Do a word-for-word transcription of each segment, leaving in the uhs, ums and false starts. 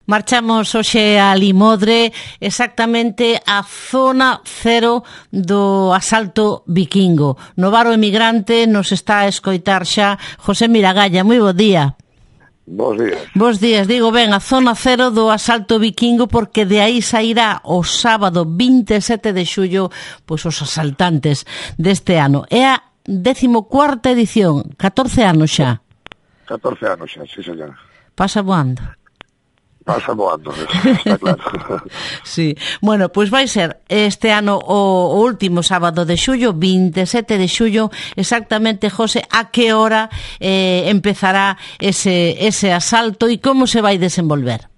Marchamos hoxe a Limodre, exactamente a zona cero do asalto vikingo. No Varo Emigrante nos está a escoitar xa José Miragalla. Moi bo día. Bos días. Bos días, digo ben, a zona cero do asalto vikingo, porque de aí sairá o sábado vinte e sete de xullo pois os asaltantes deste ano. É a decimocuarta edición, catorce anos xa. catorce anos xa, sí, señor. Pasa voando. Pasa voando, está claro. Sí, bueno, pois vai ser este ano o, o último sábado de xullo, vinte e sete de xullo, exactamente, José, a que hora eh, empezará ese, ese asalto e como se vai desenvolver?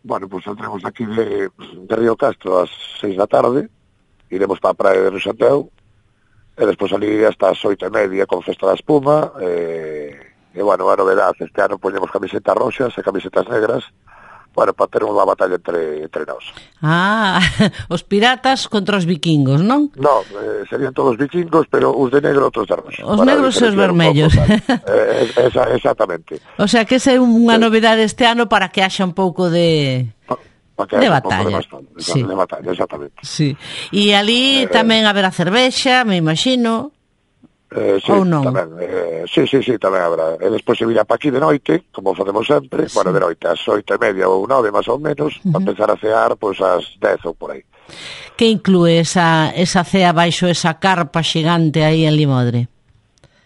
Bueno, pois pues, entremos aquí de, de Río Castro ás seis da tarde, iremos para a praia de Rosateu, e despois ali hasta as oito e media con festa da espuma, e, e bueno, a novedade, este ano poñemos camisetas roxas e camisetas negras, bueno, para ter unha batalla entre, entre nós. Ah, os piratas contra os vikingos, non? Non, eh, serían todos vikingos, pero os de negro, outros de roxo. Os negros e os vermellos. eh, esa, exactamente. O sea, que esa é unha novedade este ano para que haxa un pouco de... Pa, pa que de batalla. De, sí. de batalla, exactamente. Sí. E ali eh, tamén haberá cervexa, me imagino... Eh, sí, ou non? Tamén, eh, sí, sí, sí, tamén habrá. E despois se virá pa aquí de noite, como facemos sempre, sí. Bueno, de noite, ás oito e media ou nove, máis ou menos, uh-huh. Para empezar a cear, pois, ás dez ou por aí. Que inclúe esa, esa cea baixo esa carpa xigante aí en Limodre?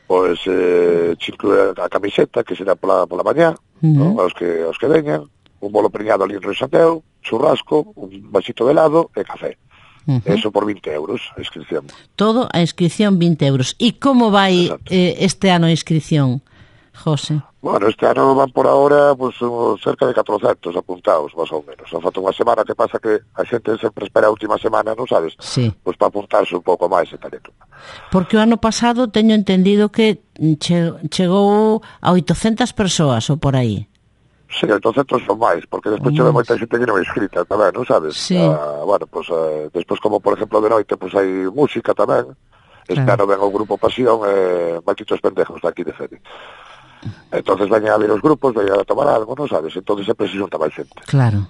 Pois, eh, inclúe a camiseta, que será pola, pola mañá, uh-huh. ¿No? aos, que, aos que veñan, un bolo preñado ali en Rosateu, churrasco, un vasito de helado e café. Uh-huh. Eso por vinte euros, a inscripción. Todo a inscripción vinte euros. E como vai eh, este ano a inscripción, José? Bueno, este ano van por ahora pues, cerca de catrocentos apuntados, máis ou menos. Falta unha semana, que pasa que a xente sempre espera a última semana, non sabes? Sí. Pois pues, para apuntarse un pouco máis e tal e tudo. Porque o ano pasado teño entendido que che, chegou a oitocentas persoas ou por aí. Sí, oitocentos son máis, porque despois chega moita xente que non é inscrita tamén, non sabes? Sí. Ah, bueno, pues, eh, despois como por exemplo de noite, pues hai música tamén. Este claro. ano ven o grupo Pasión e eh, malditos pendejos daqui de Fede. Entonces veñen a ver os grupos, veñen a tomar algo, non sabes? Entonces sempre se xunta máis xente. Claro.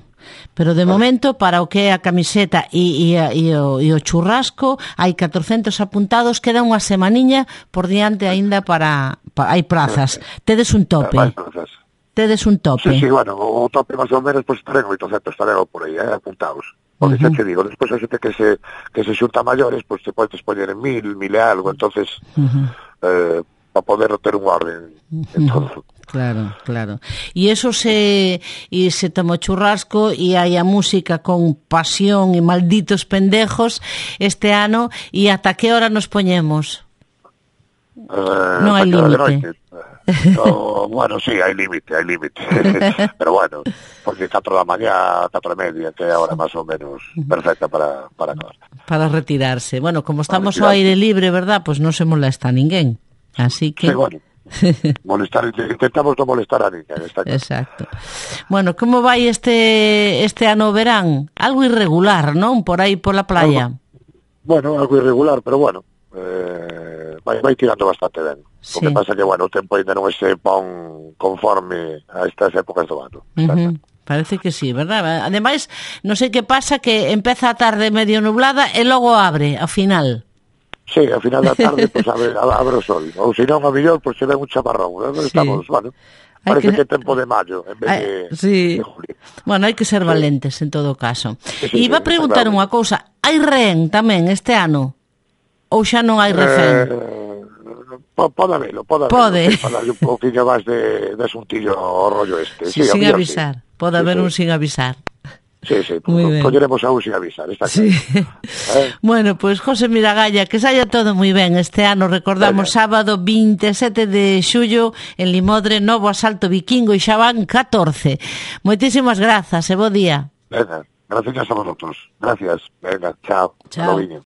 Pero de claro. momento, para o que é a camiseta e, e, e, o, e o churrasco, hai catrocentos apuntados, queda unha semaniña por diante aínda para, para... hai prazas. Tedes un tope. Hai prazas. Tedes un tope. Sí, sí, bueno, o tope máis ou menos, pois, pues, estarán oitocentos, estarán por aí, eh, apuntados. Porque uh-huh. xa te digo, despois a xente que se, que se xunta maiores, pois, pues, se podes poñer en mil, mil e algo, entonces, uh-huh. eh, para poder ter un orden en todo. Claro, claro. E eso se, e se toma churrasco e hai a música con Pasión e malditos pendejos este ano, e ata que hora nos poñemos? Eh, non hai límite. No, bueno, sí, hai límite, hai límite. Pero bueno, porque catro da mañá, catro e media, que é a hora máis ou menos perfecta para, para acabar. Para retirarse. Bueno, como estamos ao aire libre, verdad? Pois pues non se molesta a ninguén. Así que... Sí, bueno. molestar, intentamos non molestar a ninguén. Exacto. Bueno, como vai este este ano verán? Algo irregular, non? Por aí pola playa. Algo, bueno, algo irregular, pero bueno, eh, vai, vai tirando bastante ben. Sí. O que pasa que, bueno, o tempo ainda non se pon conforme a estas épocas do ano. Uh-huh. Parece que sí, verdad? Ademais, non sei que pasa, que empeza a tarde medio nublada e logo abre, ao final. Sí, ao final da tarde, pues, abre, abre o sol. Ou se non, a mellor, pues, se ven un chaparrón. Estamos, sí. Bueno, parece que... que é tempo de maio, en vez Ay, de, sí. de julio. Bueno, hai que ser valentes, sí. En todo caso. Sí, E sí, iba a preguntar sí, unha cousa. Hai rehén tamén este ano? Ou xa non hai refén? Eh... Pode habelo, pode habelo. Pode. Falar un pouquinho máis de, de asuntillo o rollo este. Sí, sí, sin aviar, avisar. Sí. Pode sí, haber sí. un sin avisar. Sí, sí, pues, colleremos a un sin avisar, está sí. claro. ¿Eh? Bueno, pois, pues, José Miragalla, que saia todo moi ben este ano. Recordamos, Venga. Sábado vinte e sete de xullo en Limodre, novo asalto vikingo, e xa van catorce. Moitísimas grazas e bo día. Venga, gracias a vosotros. Gracias. Venga, chao. Chao.